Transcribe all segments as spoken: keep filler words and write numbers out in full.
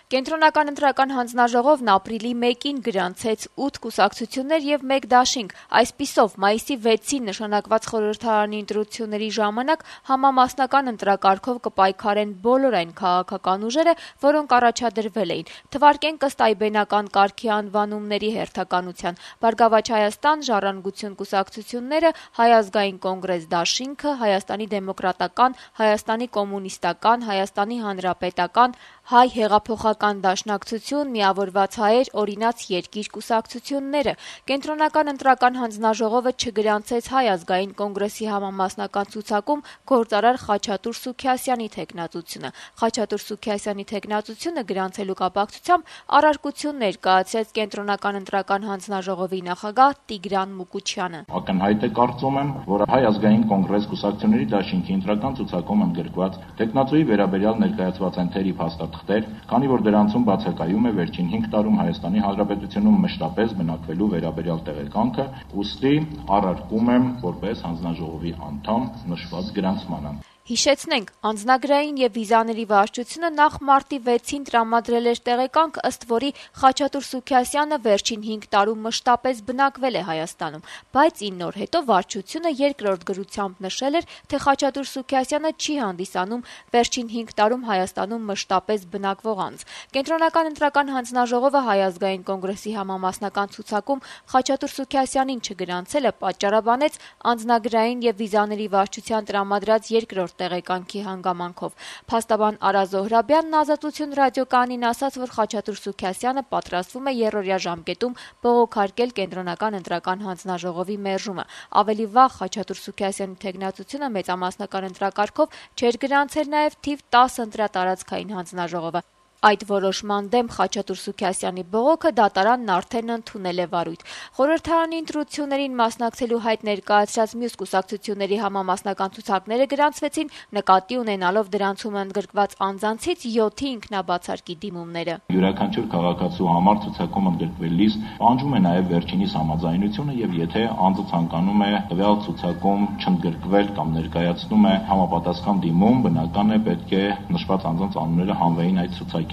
Կենտրոնական ընտրական հանձնաժողովն ապրիլի մեկին գրանցեց ութ կուսակցություններ եւ մեկ դաշինք, այսպիսով մայիսի վեցին նշանակված խորհրդարանի ընտրությունների ժամանակ համամասնական ընտրակարգով կպայքարեն բոլոր այն քաղաքական ուժերը, որոնք առաջադրվել էին, թվարկենք ըստ այբենական կարգի անվանումների հերթականության՝ Բարգավաճ Հայաստան, Ժառանգություն կուսակցությունները, Հայ ազգային կոնգրես դաշինքը, Հայաստանի դեմոկրատական, Հայաստանի կոմունիստական, Հայաստանի հանրապետական, Հայ հեղափոխական դաշնակցություն, Միավորված հայեր, Օրինաց երկիր կուսակցությունները։ Կենտրոնական ընտրական հանձնաժողովը չգրանցեց Հայ ազգային կոնգրեսի համամասնական ցուցակում գործարար Խաչատուր Սուքիասյանի թեկնածությունը։ Խաչատուր Սուքիասյանի թեկնածությունը գրանցելու կապակցությամբ առարկություն ներկայացրեց Կենտրոնական ընտրական հանձնաժողովի նախագահ Տիգրան Մուկուչյանը։ Ակնհայտ է կարծում եմ, որ Հայ ազգային կոնգրես կուսակցությունների դաշինքի ընտրական ցուցակում ընդգրկված տեխնացուի վերաբերյալ ներկայացված են թերի փաստաթղթեր, քանի որ դրանցում բացակայում է վերջին հինգ տարում Հայաստանի Հանրապետությունում մշտապես բնակվելու վերաբերյալ տեղեկանքը, ուստի առարկում եմ որպես հանձնաժողովի անդամ նշված գրանցմանը։ Հիշեցնենք, անձնագրային եւ վիզաների վարչությունը նախ մարտի վեցին տրամադրել էր տեղեկանք, ըստ որի Խաչատուր Սուքիասյանը վերջին հինգ տարում մշտապես բնակվել է Հայաստանում, բայց ինը օր հետո վարչությունը երկրորդ գրությամբ նշել էր, թե Խաչատուր Սուքիասյանը չի հանդիսանում վերջին հինգ տարում Հայաստանում մշտապես բնակվող անձ։ Կենտրոնական ընտրական հանձնաժողովը Հայ ազգային կոնգրեսի համամասնական ցուցակում Խաչատուր Սուքիասյանին չգրանցելը պատճառաբանեց անձնագրային եւ վիզաների վարչության տրամադրած երկրորդ տեղեկանքի հանգամանքով։ Փաստաբան Արա Զոհրաբյանն Ազատություն ռադիոկայանին ասաց, որ Խաչատուր Սուքիասյանը պատրաստվում է երրորդյա ժամկետում բողոքարկել Կենտրոնական ընտրական հանձնաժողովի մերժումը։ Ավելի վաղ Խաչատուր Սուքիասյանի թեկնածությունը մեծամասնական ընտրակարգով չէր գրանցել նաև թիվ տասը ընտրատարածքային հանձնաժողովը։ Այդ որոշման դեմ Խաչատուր Սուքիասյանի բողոքը դատարանն արդեն ընդունել է վարույթ։ Խորհրդարանի ընտրություններին մասնակցելու հայտ ներկայացրած մյուս կուսակցությունների համամասնական ցուցակները գրանցվեցին, նկատի ունենալով դրանցում ընդգրկված անձանցից յոթի ինքնաբացարկի դիմումները։ Յուրաքանչյուր քաղաքացու համար ցուցակում ընդգրկվելիս պահանջում է նաև վերջինիս համաձայնությունը եւ եթե անձը ցանկանում է տվյալ ցուցակում չընդգրկվել կամ ներկայացնում է համապատասխան դիմում, բնական է պետք է նշված անձանց անունները հանվեին այդ ցուցակից։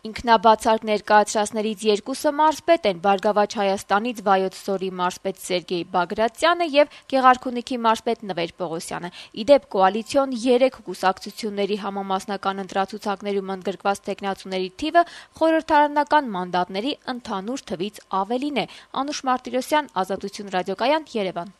Ինքնաբացարկ ներկայացրածներից երկուսը մարզպետ են՝ Բարգավաճ Հայաստանից Վայոց Ձորի մարզպետ Սերգեյ Բագրատյանը եւ Գեղարքունիքի մարզպետ Նվեր Պողոսյանը։ Իդեպ կոալիցիոն երեք կուսակցությունների համամասնական ընտրացուցակներում ընդգրկված տեխնացուների թիվը խորհրդարանական մանդատների ընդհանուր թվից ավելին է։ Անուշ Մարտիրոսյան, Ազատություն ռադիոկայան, Երևան։